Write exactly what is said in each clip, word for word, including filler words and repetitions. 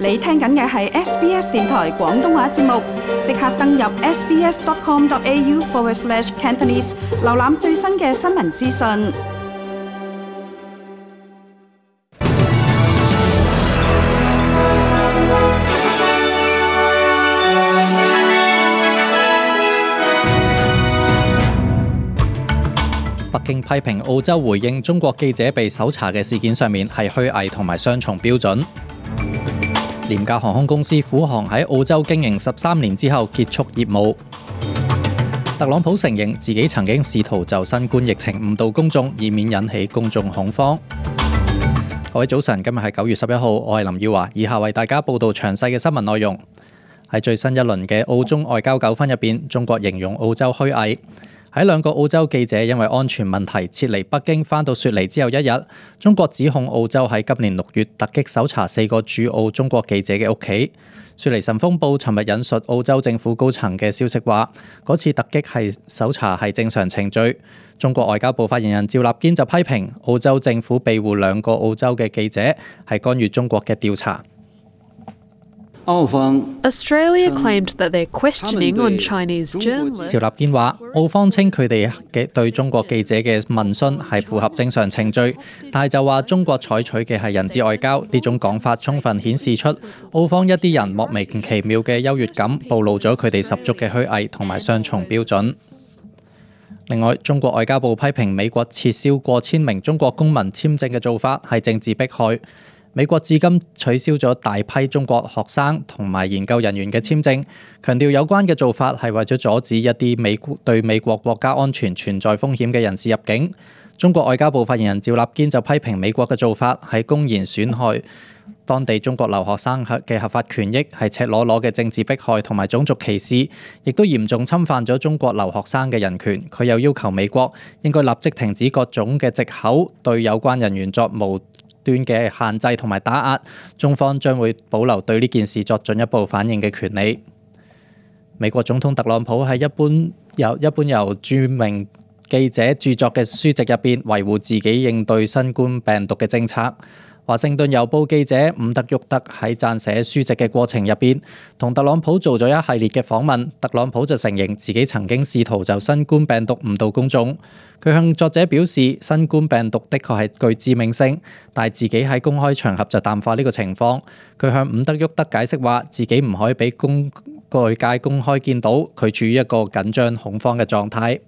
你聽緊嘅係 S B S 電台廣東話節目，即刻登入 sbs.com.au forward slash Cantonese， 瀏覽最新嘅新聞資訊。北京批評澳洲回應中國記者被搜查嘅事件上面係虛偽同埋雙重標準。廉價航空公司虎航喺澳洲經營十三年之後結束業務。特朗普承認自己曾經試圖就新冠疫情誤導公眾，以免引起公眾恐慌。各位早晨，今日係九月十一號，我係林耀華，以下為大家報道詳細嘅新聞內容。喺最新一輪嘅澳中外交糾紛入邊，中國形容澳洲虛偽。喺兩個澳洲記者因為安全問題撤離北京返到雪梨之後一日，中國指控澳洲喺今年六月突擊搜查四個駐澳中國記者嘅屋企。雪梨晨鋒報尋日引述澳洲政府高層嘅消息話，嗰次突擊係搜查係正常程序。中國外交部發言人趙立堅就批評澳洲政府庇護兩個澳洲嘅記者係干預中國嘅調查。澳方 Australia claimed that they're questioning on Chinese journalists. 趙立堅話，澳方稱佢哋嘅對中國記者嘅問詢係符合正常程序，但係就話中國採取嘅係人質外交，呢種講法充分顯示出澳方一啲人莫名其妙嘅優越感，暴露咗佢哋十足嘅虛偽同埋雙重標準。另外，中國外交部批評美國撤銷過千名中國公民簽證嘅做法係政治迫害。美國至今取消咗大批中國學生同埋研究人員嘅簽證，強調有關嘅做法係為咗阻止一啲美對美國國家安全存在風險嘅人士入境。中國外交部發言人趙立堅就批評美國嘅做法係公然損害當地中國留學生嘅合法權益，係赤裸裸嘅政治迫害同埋種族歧視，亦都嚴重侵犯咗中國留學生嘅人權。佢又要求美國應該立即停止各種嘅藉口，對有關人員作無端嘅限制同埋打壓，中方將會保留對呢件事作進一步反應嘅權利。美國總統特朗普喺一般由一般由著名記者著作嘅書籍入邊維護自己應對新冠病毒嘅政策。華盛頓郵報記者伍德沃德喺撰寫書籍嘅過程入邊，同特朗普做咗一系列嘅訪問。特朗普就承認自己曾經試圖就新冠病毒誤導公眾。佢向作者表示，新冠病毒的確係具致命性，但係自己喺公開場合就淡化呢個情況。佢向伍德沃德解釋話，自己唔可以俾公外界公開見到佢處於一個緊張恐慌嘅狀態。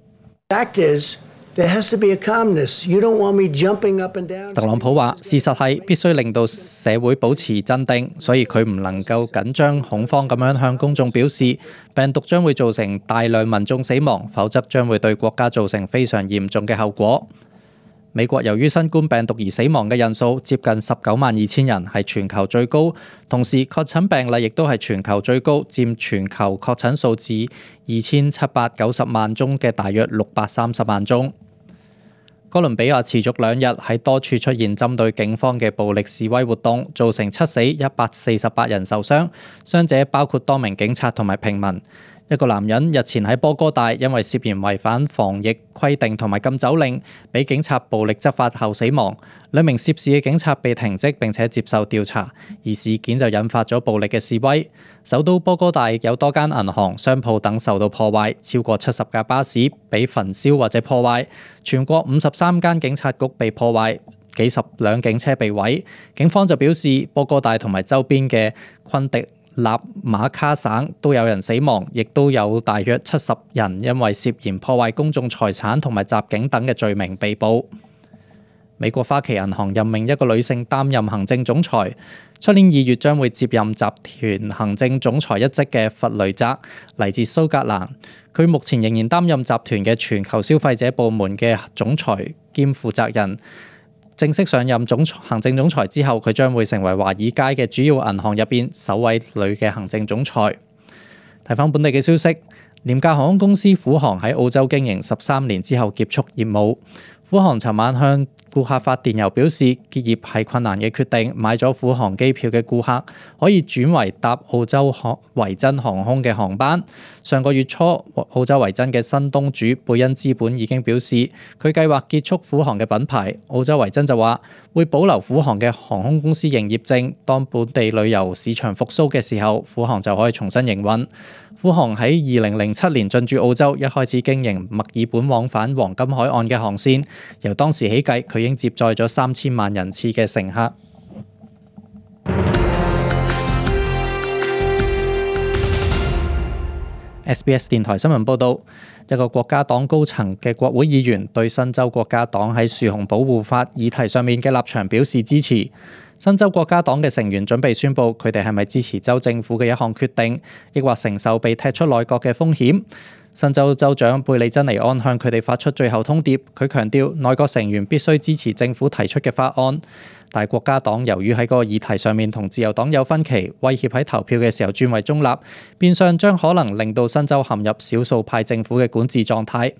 There has to be a calmness. You don't want me jumping up and down. 特朗普話：事實係必須令到社會保持鎮定，所以佢唔能夠緊張恐慌咁樣向公眾表示病毒將會造成大量民眾死亡，否則將會對國家造成非常嚴重嘅後果。美國由於新冠病毒而死亡嘅人數接近十九萬二千人，係全球最高，同時確診病例亦都係全球最高，佔全球確診數字二千七百九十萬宗嘅大約六百三十萬宗。哥倫比亞持續兩日喺多處出現針對警方嘅暴力示威活動，造成七死一百四十八人受傷，傷者包括多名警察同埋平民。一個男人日前喺波哥大因為涉嫌違反防疫規定同埋禁酒令，俾警察暴力執法後死亡。兩名涉事嘅警察被停職並且接受調查，而事件就引發咗暴力嘅示威。首都波哥大有多間銀行、商鋪等受到破壞，超過七十架巴士被焚燒或者破壞。全國五十三間警察局被破壞，幾十輛警車被毀。警方就表示，波哥大同埋周邊嘅昆迪納馬卡省都有人死亡，亦都有大約七十人因為涉嫌破壞公眾財產同埋襲警等嘅罪名被捕。美國花旗銀行任命一個女性擔任行政總裁，出年二月將會接任集團行政總裁一職嘅弗雷澤，嚟自蘇格蘭。佢目前仍然擔任集團嘅全球消費者部門嘅總裁兼負責人。正式上任總行政總裁之後，佢將會成為華爾街嘅主要銀行入邊首位女嘅行政總裁。睇返本地嘅消息，廉價航空公司虎航喺澳洲經營十三年之後結束業務。虎航尋晚向顧客發電郵表示，結業係困難嘅決定，買咗虎航機票嘅顧客可以轉為搭澳洲維珍航空嘅航班。上個月初，澳洲維珍嘅新東主貝恩資本已經表示，佢計劃結束虎航嘅品牌。澳洲維珍就話會保留虎航嘅航空公司營業證，當本地旅遊市場復甦嘅時候，虎航就可以重新營運。虎航喺二零零七年進駐澳洲，一開始經營墨爾本往返黃金海岸嘅航線，由當時起計，佢已經接載咗三千萬人次嘅乘客。S B S 電台新聞報導，一個國家黨高層嘅國會議員對新州國家黨喺樹熊保護法議題上面嘅立場表示支持。新州國家黨嘅成員準備宣布佢哋係咪支持州政府嘅一項決定，抑或承受被踢出內閣嘅風險。新州州長貝利珍尼安向佢哋發出最後通牒，佢強調內閣成員必須支持政府提出嘅法案。但係國家黨由於喺個議題上面同自由黨有分歧，威脅喺投票嘅時候轉為中立，變相將可能令到新州陷入少數派政府嘅管治狀態。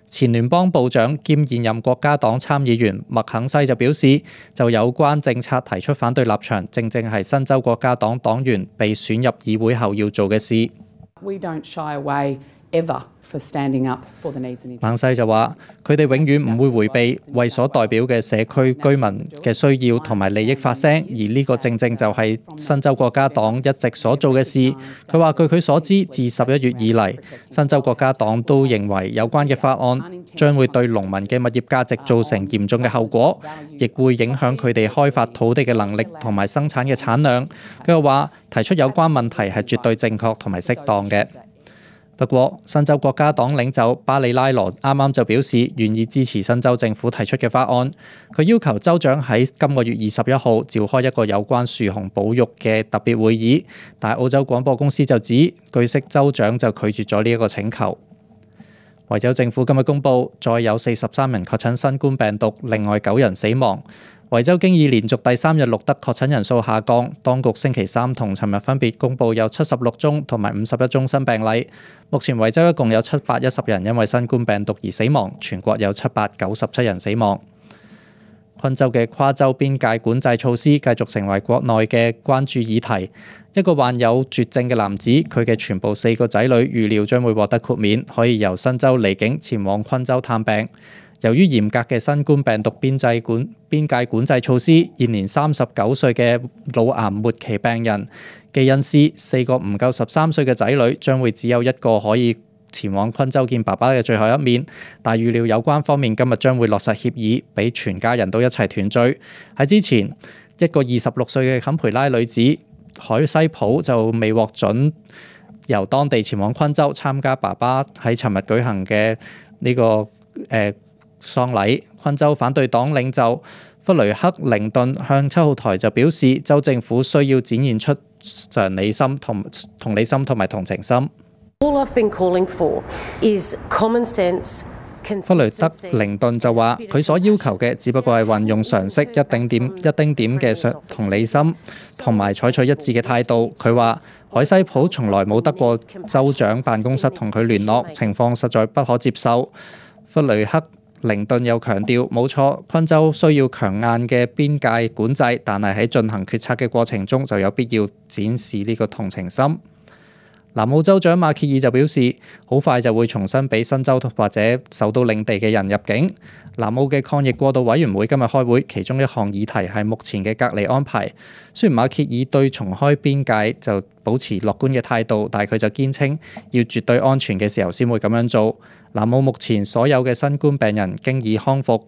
前聯邦部長兼現任國家黨參議員麥肯西就表示，就有關政策提出反對立場，正正係新州國家黨黨員被選入議會後要做嘅事。We don't shy away ever for standing up for the needs and interests. 孟西就話：佢哋永遠唔會迴避為所代表嘅社區居民嘅需要同埋利益發聲，而呢個正正就係新州國家黨一直所做嘅事。佢話：據佢所知，自十一月以嚟，新州國家黨都認為有關嘅法案將會對農民嘅物業價值造成嚴重嘅後果，亦會影響佢哋開發土地嘅能力同埋生產嘅產量。佢又話：提出有關問題係絕對正確同埋適當嘅。不過，新州國家黨領袖巴里拉羅啱啱就表示願意支持新州政府提出嘅法案。佢要求州長喺今個月二十一號召開一個有關樹熊保育嘅特別會議，但澳洲廣播公司就指，據悉州長就拒絕咗呢一個請求。維州政府今日公布，再有四十三人確診新冠病毒，另外九人死亡。維州經已連續第三日錄得確診人數下降，當局星期三同尋日分別公布有七十六宗同埋五十一宗新病例。目前維州一共有七百一十人因為新冠病毒而死亡，全國有七百九十七人死亡。昆州嘅跨州邊界管制措施繼續成為國內嘅關注議題。一個患有絕症嘅男子，佢嘅全部四個仔女預料將會獲得豁免，可以由新州離境前往昆州探病。由於嚴格嘅新冠病毒邊際管邊界管制措施，現年三十九歲嘅腦癌末期病人基恩斯四個唔夠十三歲嘅仔女將會只有一個可以前往昆州見爸爸嘅最後一面，但預料有關方面今日將會落實協議，俾全家人都一齊團聚。喺之前，一個二十六歲嘅坎培拉女子海西普就未獲准由當地前往昆州參加爸爸喺尋日舉行嘅呢、這個誒。呃喪禮。昆州反對黨領袖弗雷克靈頓向七號台就表示，州政府需要展現出常理心同同理心同埋同情心。All I've been calling for is common sense。弗雷德靈頓就話：佢所要求嘅只不過係運用常識，一丁點一丁點嘅同理心，同埋採取一致嘅態度。佢話：海西普從來冇得過州長辦公室同佢聯絡，情況實在不可接受。弗雷克靈頓又強調，冇錯，昆州需要強硬嘅邊界管制，但係喺進行決策嘅過程中就有必要展示呢個同情心。南澳州長馬歇爾就表示，好快就會重新俾新州或者首都領地嘅人入境。南澳嘅抗疫過渡委員會今日開會，其中一項議題係目前嘅隔離安排。雖然馬歇爾對重開邊界就保持樂觀嘅態度，但係佢就堅稱要絕對安全嘅時候先會咁樣做。南澳目前所有嘅新冠病人經已康復。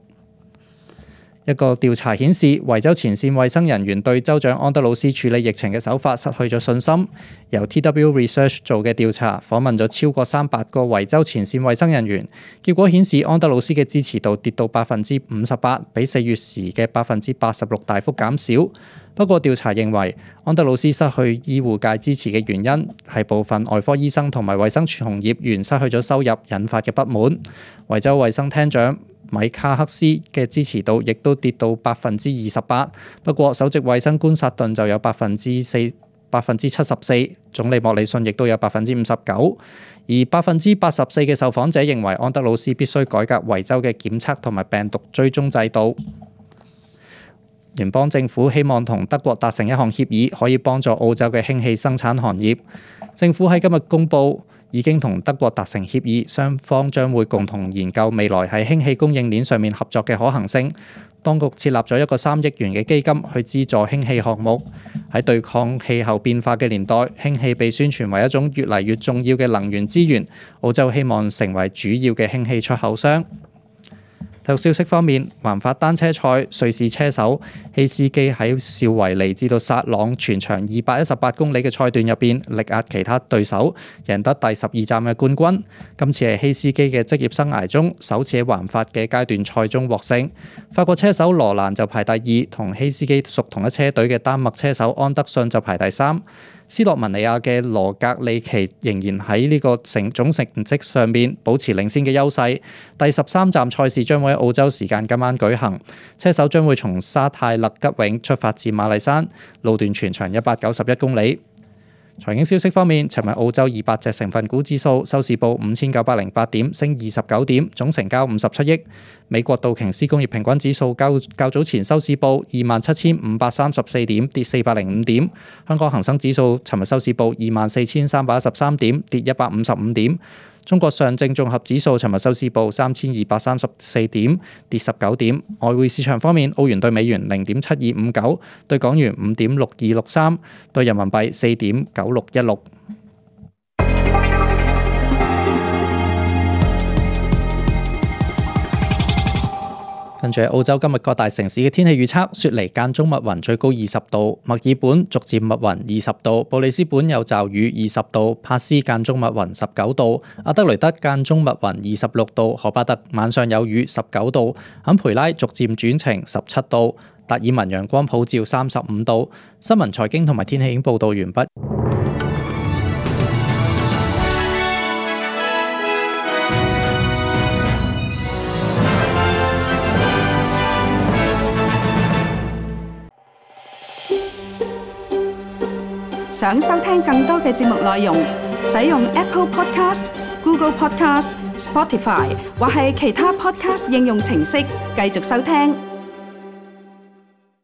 一個調查顯示，維州前線衛生人員對州長安德魯斯處理疫情嘅手法失去咗信心。由 T W Research 做嘅調查訪問咗超過三百個維州前線衛生人員，結果顯示安德魯斯嘅支持度跌到百分之五十八，比四月時嘅百分之八十六大幅減少。不過調查認為，安德魯斯失去醫護界支持嘅原因係部分外科醫生同埋衛生從業員失去咗收入引發嘅不滿。維州衛生廳長米卡克斯嘅支持度亦都跌到百分之二十八，不過首席衛生官薩頓就有百分之四百分之七十四，總理莫里遜亦都有百分之五十九，而百分之八十四嘅受訪者認為安德魯斯必須改革維州嘅檢測同埋病毒追蹤制度。聯邦政府希望同德國達成一項協議，可以幫助澳洲嘅氫氣生產行業。政府喺今日公佈，已經同德國達成協議，雙方將會共同研究未來喺氫氣供應鏈上面合作嘅可行性。當局設立咗一個三億元嘅基金去資助氫氣項目。喺對抗氣候變化嘅年代，氫氣被宣傳為一種越嚟越重要嘅能源資源。澳洲希望成為主要嘅氫氣出口商。體育消息方面，環法單車賽，瑞士車手希斯基喺紹維尼至到薩朗全長二百一十八公里嘅賽段入邊力壓其他對手，贏得第十二站嘅冠軍。今次係希斯基嘅職業生涯中首次喺環法嘅階段賽中獲勝。法國車手羅蘭就排第二，同希斯基屬同一車隊嘅丹麥車手安德遜就排第三。斯洛文尼亞嘅羅格里奇仍然喺呢個成總成績上面保持領先嘅優勢。第十三站賽事將會喺澳洲時間今晚舉行，車手將會從沙泰勒吉永出發至馬麗山，路段全長一百九十一公里。財經消息方面，尋日澳洲二百隻成分股指數收市報五千九百零八點，升二十九點，總成交五十七億。美國道瓊斯工業平均指數較較早前收市報二萬七千五百三十四點，跌四百零五點。香港恒生指數尋日收市報二萬四千三百一十三點，跌一百五十五點。中國上證綜合指數尋日收市報三千二百三十四點，跌十九點。外匯市場方面，澳元對美元零點七二五九，對港元五點六二六三，對人民幣四點九六一六。跟住澳洲今日各大城市嘅天氣預測：雪梨間中密雲，最高二十度；墨爾本逐漸密雲，二十度；布里斯本有驟雨，二十度；帕斯間中密雲，十九度；阿德雷德間中密雲，二十六度；荷巴特晚上有雨，十九度；坎培拉逐漸轉晴，十七度；達爾文陽光普照，三十五度。新聞財經同埋天氣已經報導完畢。想收聽更多嘅節目內容，使用 Apple Podcast、Google Podcast、Spotify 或係其他 Podcast 應用程式繼續收聽。